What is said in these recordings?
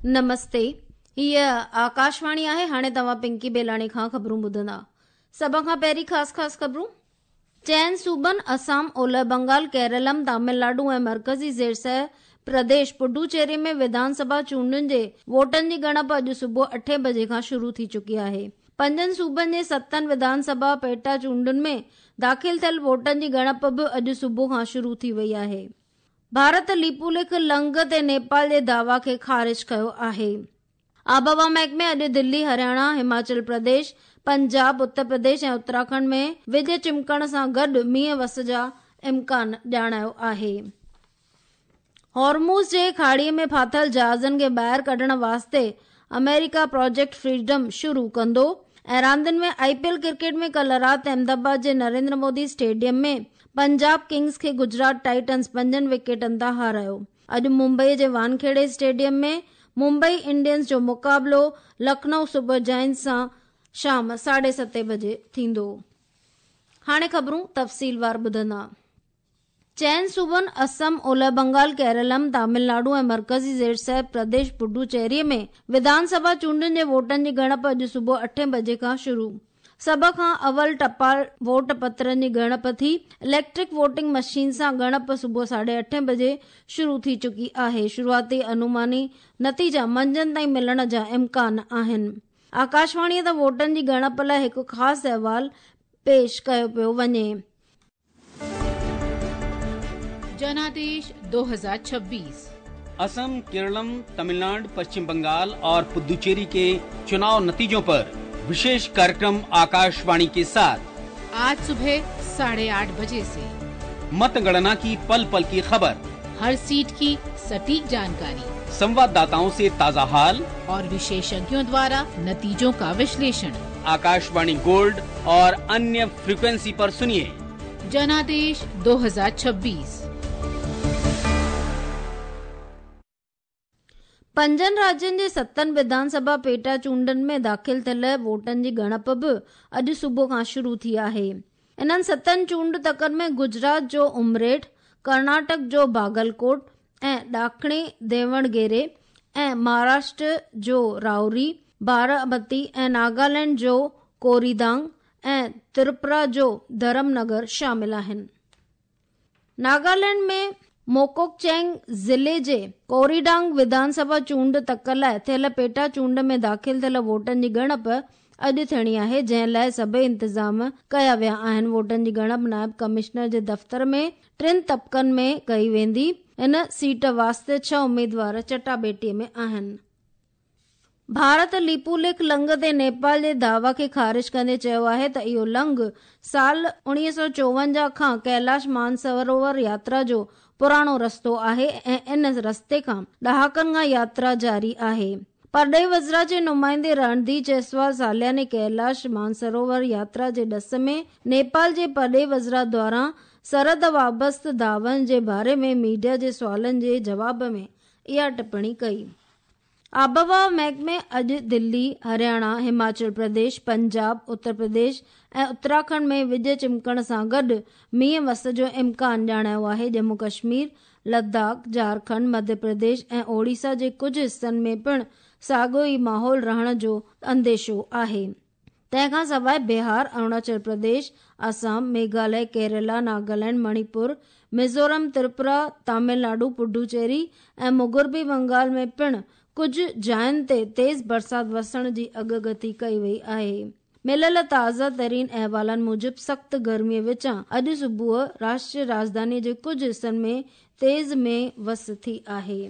نمستي هيء آڪاشواڻي آهي هاڻي توهان پنڪي بيلاڻي کان خبرون ٻڌندا سڀ کان پهرين خاص خاص خبرون چئن صوبن اسام اولهه بنگال ڪيرلم تامل ناڊو ۽ مرڪزي زيرسه پرديش پڊوچيري ۾ وڌان سڀا چونڊن جي ووٽن جي ڳڻپ اڄ صبح اٺين بجي کان شروع ٿي چڪي آهي پنجن صوبن جي ستن وڌان سڀا پيٽا چونڊن ۾ داخل ٿيل ووٽن جي ڳڻپ به اڄ صبح کان شروع ٿي وئي آهي ڀارت ليپوليک لنگهه تي نيپال جي دعويٰ کي خارج ڪيو آهي. آبهوا محڪمي اڄ دلي، هرياڻا، هماچل پرديش، پنجاب، اتر پرديش ۽ اتراکنڊ ۾ وڄ چمڪڻ سان گڏ مينهن وس جا امڪان ڄاڻايو آهي. هورموز جي کاڙي ۾ ڦاٿل جهازن کي ٻاهر ڪڍڻ واسطي آمريڪا پراجيڪٽ فريڊم شروع ڪندو ۽ راندين ۾ آء پي ايل ڪرڪيٽ ۾ ڪلهه رات احمدآباد جي نريندر مودي اسٽيڊيم ۾ پنجاب ڪنگز کي گجرات ٽائٽنز پنجن وڪيٽن تان هارايو. اڄ ممبئي جي وانکيڙي اسٽيڊيم ۾ ممبئي انڊينز جو مقابلو لکنئو سپر جائنٽس سان شام ساڍي ستين بجي ٿيندو. هاڻي خبرون تفصيلوار ٻڌندا. چئن صوبن اسم، اولهه بنگال، ڪيرلم، تامل ناڊو ۽ مرڪزي زيرسير پرديش پڊوچيري ۾ وڌان سڀا چونڊن جي ووٽن جي ڳڻپ اڄ صبح اٺين بجي کان شروع. سڀ کان اول ٽپال ووٽ پترن جي ڳڻپ ٿي. اليڪٽرڪ ووٽنگ مشين سان ڳڻپ صبح ساڍي اٺين بجي شروع ٿي چڪي آهي. شروعاتي انوماني نتيجا منجهند تائين ملڻ جا امڪان آهن. آڪاشواڻيء تان ووٽن جي ڳڻپ لاء هڪ خاص احوال پيش ڪيو پيو وڃي. जनादेश 2026 असम केरलम तमिलनाडु पश्चिम बंगाल और पुदुचेरी के चुनाव नतीजों पर विशेष कार्यक्रम आकाशवाणी के साथ आज सुबह 8:30 बजे से मतगणना की पल पल की खबर, हर सीट की सटीक जानकारी, संवाददाताओं से ताजा हाल और विशेषज्ञों द्वारा नतीजों का विश्लेषण। आकाशवाणी गोल्ड और अन्य फ्रीक्वेंसी पर सुनिए जनादेश 2026। پنجن راجين جي ستن وڌان سڀا پيٽا چونڊن ۾ داخل ٿيل ووٽن جي ڳڻپ به اڄ صبح کان شروع ٿي آهي. انهن ستن چونڊ تڪن ۾ گجرات جو امريٺ، ڪرناٽڪ جو باگلڪوٽ ۽ ڏاکڻي ديوڻگيري ۽ مهاراشٽر جو راوري، بارامتي ۽ ناگالينڊ جو ڪوريدانگ ۽ تريپورا جو ڌرم نگر شامل آهن. ناگالينڊ ۾ موڪوڪچنگ ضلعي جي ڪوريڊانگ وڌان سڀا چونڊ تڪ لاء ٿيل پيٽا چونڊ ۾ داخل ٿيل ووٽن جي ڳڻپ اڄ ٿيڻي آهي، جنهن لاء سڀئي انتظام ڪيا ويا آهن. ووٽن جي ڳڻپ نائب ڪمشنر جي دفتر ۾ ٽن طبقن ۾ ڪئي ويندي. ان سيٽ واسطي ڇهه اميدوار چٽاڀيٽي ۾ آهن. ڀارت ليپوليک لنگهه تي نيپال جي دعويٰ کي خارج ڪندي چيو آهي ته اهو لنگهه سال 1954 کان ڪيلاش مانسروور ياترا جو پراڻو رستو آهي ۽ ان رستي کان ڏهاڪن کان ياترا جاري آهي. پرڏيهي وزارت جي نمائندي رڻڌير جيسوال سالياني ڪيلاش مانسروور ياترا جي ڏس ۾ نيپال جي پرڏيهي وزارت دواران سرحد وابسته دعوائن جي باري ۾ ميڊيا جي سوالن جي جواب ۾ اها ٽپڻي ڪئي. آبهوا محڪمي اڄ دلي، هرياڻا، هماچل پرديش، پنجاب، اتر پرديش ۽ اتراکنڊ ۾ وڄ چمڪڻ سان گڏ مينهن وس جو امڪان ڄاڻايو آهي. ڄمون ڪشمير، لداخ، جهارکنڊ، مڌيه پرديش ۽ اوڙيسا جي ڪجهه حصن ۾ پڻ ساڳيو ئي ماحول رهڻ جو انديشو آهي. تنهن کان سواء بهار، اروناچل پرديش، آسام، ميگهاليه، ڪيرالا، ناگالينڊ، مڻيپور، ميزورم، تريپورا، تامل ناڊو، پڊوچيري ۽ مغربي بنگال ۾ پڻ ڪجهه جاين تي تيز برسات وسڻ جي اڳڪٿي ڪئي وئي آهي. مليل تازه ترين احوالن موجب سخت گرمي وچان اڄ صبح راشٽريه راڄڌاني جي ڪجهه حصن ۾ تيز مينهن وس ٿي آهي.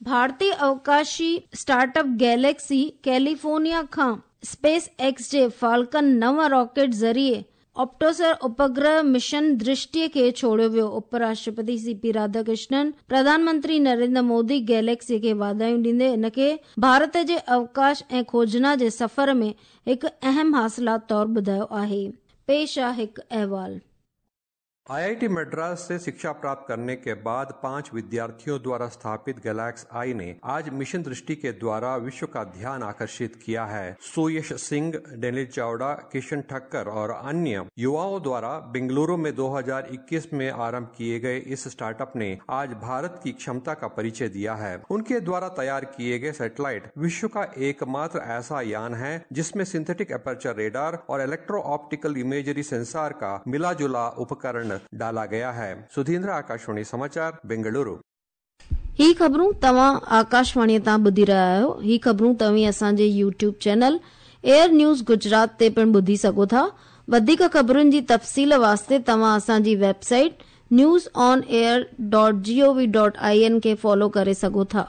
ڀارتي اوڪاشي اسٽارٽ اپ گيليڪسي ڪيليفورنيا کان اسپيس ايڪس جي فالڪن نو راڪيٽ ذريعي آپٽوسر اپگرهه مشن درشٽي کي ڇوڙيو ويو. اپ راشٽرپتي سي پي راڌاڪرشنن، پرڌان منتري نريندر مودي گيليڪسي کي واڌايون ڏيندي ان کي ڀارت جي اوڪاش ۽ کوجنا جي سفر ۾ هڪ اهم حاصلات طور ٻڌايو آهي. پيش آ هڪ احوال. आईआईटी मद्रास से शिक्षा प्राप्त करने के बाद 5 विद्यार्थियों द्वारा स्थापित गैलेक्स आई ने आज मिशन दृष्टि के द्वारा विश्व का ध्यान आकर्षित किया है। सुयश सिंह, डेनिल चावड़ा, किशन ठक्कर और अन्य युवाओं द्वारा बेंगलुरु में 2021 में आरंभ किए गए इस स्टार्टअप ने आज भारत की क्षमता का परिचय दिया है। उनके द्वारा तैयार किए गए सैटेलाइट विश्व का एकमात्र ऐसा यान है जिसमें सिंथेटिक एपर्चर रेडार और इलेक्ट्रो ऑप्टिकल इमेजरी सेंसर का मिला जुला उपकरण डाला गया है। सुधींद्र, आकाशवाणी समाचार, बेंगलुरु। ही ख़बरूं तव्हां आकाशवाणीअ तां ॿुधी रहिया आहियो। ही ख़बरूं तव्हीं असांजे YouTube channel AIR news Gujarat ते पिणु ॿुधी सघो था। वधीक ख़बरुनि जी तफ़सील वास्ते तव्हां असांजी वेबसाइट newsonair.gov.in खे फॉलो करे सघो था।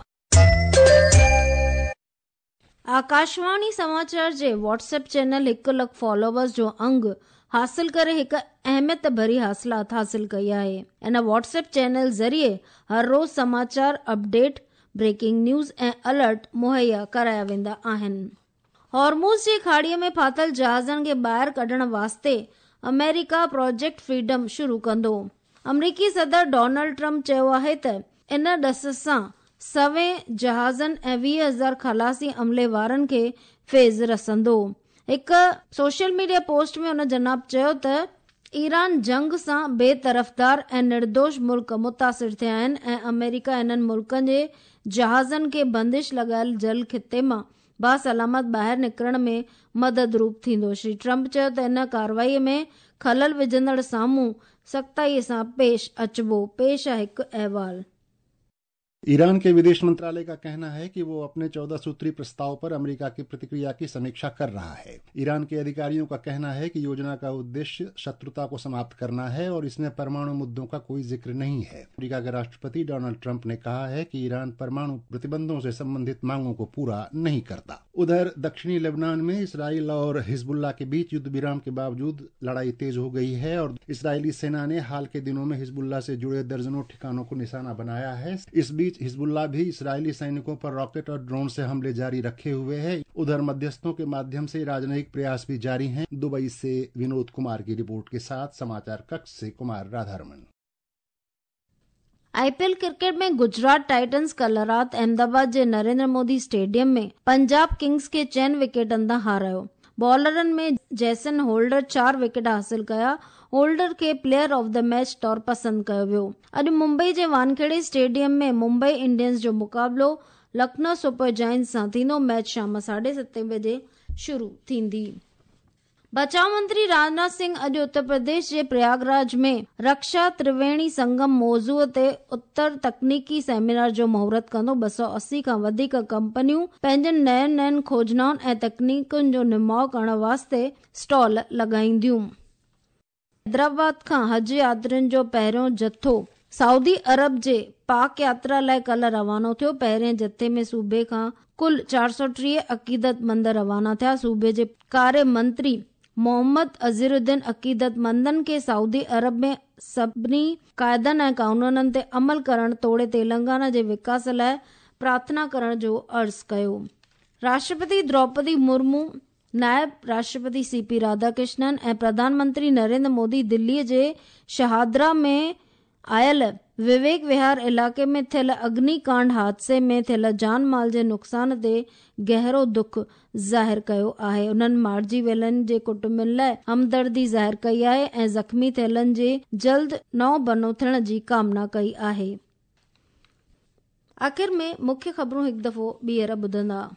आकाशवाणी समाचार जे व्हाट्सएप चैनल 1 लख फॉलोवर्स जो अंग हासिल करे हिकु अहमियत भरी हासिलात हासिल कई आहे। इन व्हाट्सएप चैनल ज़रिए हर रोज़ समाचार अपडेट, ब्रेकिंग न्यूज़ ऐं अलर्ट मुहैया कराया वेंदा आहिनि। हॉर्मुज़ जी खाड़ीअ में फाथल जहाज़नि खे ॿाहिरि कढण वास्ते अमेरिका प्रोजेक्ट फ्रीडम शुरू कंदो। अमरीकी सदर डोनाल्ड ट्रंप चयो आहे त इन ॾस सां सवें जहाज़नि ऐं 20,000 खलासी अमले वारनि खे फैज़ रसंदो। हिकु सोशल मीडिया पोस्ट में हुन जनाब चयो त ईरान जंग सां बेतरफ़दार ऐं निर्दोष मुल्क मुतासिर थिया आहिनि ऐं अमेरिका इन्हनि मुल्कनि जे जहाज़नि खे बंदिश लॻायल जल ख़िते मां बासलामत ॿाहिरि निकिरण में मदद रूप थींदो। श्री ट्रंप चयो त इन कार्रवाईअ में ख़लल विझंदड़ साम्हूं सख़्ताईअ सां पेश अचिबो। पेश आहे हिकु अहवाल। ईरान के विदेश मंत्रालय का कहना है कि वो अपने 14 सूत्री प्रस्ताव पर अमेरिका की प्रतिक्रिया की समीक्षा कर रहा है। ईरान के अधिकारियों का कहना है कि योजना का उद्देश्य शत्रुता को समाप्त करना है और इसमें परमाणु मुद्दों का कोई जिक्र नहीं है। अमेरिका के राष्ट्रपति डोनाल्ड ट्रंप ने कहा है कि ईरान परमाणु प्रतिबंधों से संबंधित मांगों को पूरा नहीं करता। उधर दक्षिणी लेबनान में इसराइल और हिजबुल्लाह के बीच युद्ध विराम के बावजूद लड़ाई तेज हो गई है और इसराइली सेना ने हाल के दिनों में हिजबुल्लाह से जुड़े दर्जनों ठिकानों को निशाना बनाया है। इस बीच हिजबुल्लाह भी इसराइली सैनिकों पर रॉकेट और ड्रोन से हमले जारी रखे हुए है। उधर मध्यस्थों के माध्यम से राजनयिक प्रयास भी जारी हैं। दुबई से विनोद कुमार की रिपोर्ट के साथ समाचार कक्ष से कुमार राधारमन। आईपीएल क्रिकेट में गुजरात टाइटंस कल राति अहमदाबाद जे नरेंद्र मोदी स्टेडियम में पंजाब किंग्स खे 4 विकेटनि तां हारायो। बॉलरनि में जैसन होल्डर 4 विकेट हासिल कया। होल्डर खे प्लेयर ऑफ the match तौर पसंदि कयो वियो। अॼु मुंबई जे वानखेड़े स्टेडियम में मुंबई इंडियंस जो मुक़ाबिलो लखनऊ सुपर जायंट्स सां थींदो। मैच शाम 7:30 बजे शुरू थींदी। बचाव मंत्री राजनाथ सिंह अॼु उत्तर प्रदेश जे प्रयागराज में रक्षा त्रिवेणी संगम मौज़ूअ ते उत्तर तकनीकी सेमिनार जो मुहूर्त कंदो। 280 खां वधीक कंपनियूं पंहिंजनि नयुनि नयुनि खोजनाउनि ऐं तकनीकुनि जो निमाउ करण वास्ते स्टॉल लॻाईंदियूं। हैदराबाद खां हज यात्रियुनि जो पहिरियों जथो सऊदी अरब जे पाक यात्रा लाइ कल्ह रवानो थियो। पहिरें जथे में सूबे खां कुल 430 अक़ीदतमंद रवाना थिया। सूबे जे कार्य मंत्री मोहम्मद अज़हरुद्दीन अक़ीदतमंदनि खे सऊदी अरब में सभिनी क़ाइदनि ऐं कानूननि ते अमल करण तोड़े तेलंगाना जे विकास लाइ प्रार्थना करण जो अर्ज़ कयो। राष्ट्रपति द्रौपदी मुर्मू, नायब राष्ट्रपति सीपी राधाकृष्णन ऐं प्रधानमंत्री नरेंद्र मोदी दिल्लीअ जे शहादरा में आयल विवेक विहार इलाइक़े में थियल अग्निकांड हादसे में थियल जान माल जे नुक़सान ते गहरो दुख ज़ाहिर कयो आहे। उन्हनि मारिजी वियलनि जे कुटुंबनि लाइ हमदर्दी ज़ाहिर कई आहे ऐं ज़ख़्मी थियलनि जे जल्द नओं बनो थियण जी कामना कई आहे। आख़िर में मुख्य ख़बरूं हिकु दफ़ो ॿीहर ॿुधंदा।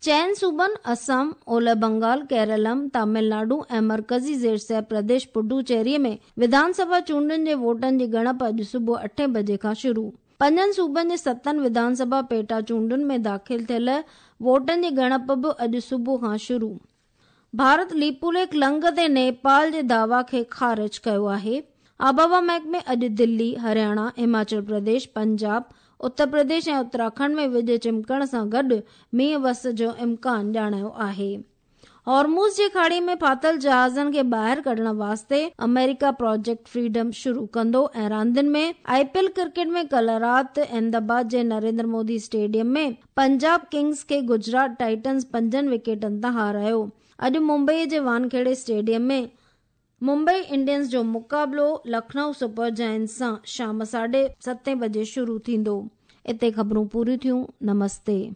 4 सूबनि असम, ओलह बंगाल, केरलम, तमिलनाडु ऐं मर्कज़ी ज़ेर प्रदेश पुडुचेरीअ में विधानसभा चूंडुनि जे वोटनि जी ॻणप अॼु सुबुह 8 बजे खां शुरू। 5 सूबनि जे 7 विधानसभा पेटा चूंडुनि में दाख़िल थियल वोटनि जी ॻणप बि अॼु सुबुह खां शुरू। भारत लिपुलेख लंघ ते नेपाल जे दावा खे ख़ारिज कयो आहे। आबहवा महकमे अॼु दिल्ली, हरियाणा, हिमाचल प्रदेश, पंजाब, उत्तर प्रदेश ऐं उत्तराखंड में विज चिमकण सां गॾु मींहुं वस जो इम्कान ॼाणायो आहे। हॉर्मुज़ जी खाड़ी में फाथल जहाज़नि खे ॿाहिरि कढण वास्ते अमेरिका प्रोजेक्ट फ्रीडम शुरू कंदो। ऐं रांदियुनि में आईपीएल क्रिकेट में कल्ह राति अहमदाबाद जे नरेंद्र मोदी स्टेडियम में पंजाब किंग्स खे गुजरात टाइटंस 5 विकेटनि तां हारायो। अॼु मुंबईअ जे वानखेड़े स्टेडियम में ممبئي انڊينز جو مقابلو لکنؤ سپر جائنٽس سان شام 7:30 بجي شروع ٿيندو. اتي خبرون پوريون ٿيون. نمستي.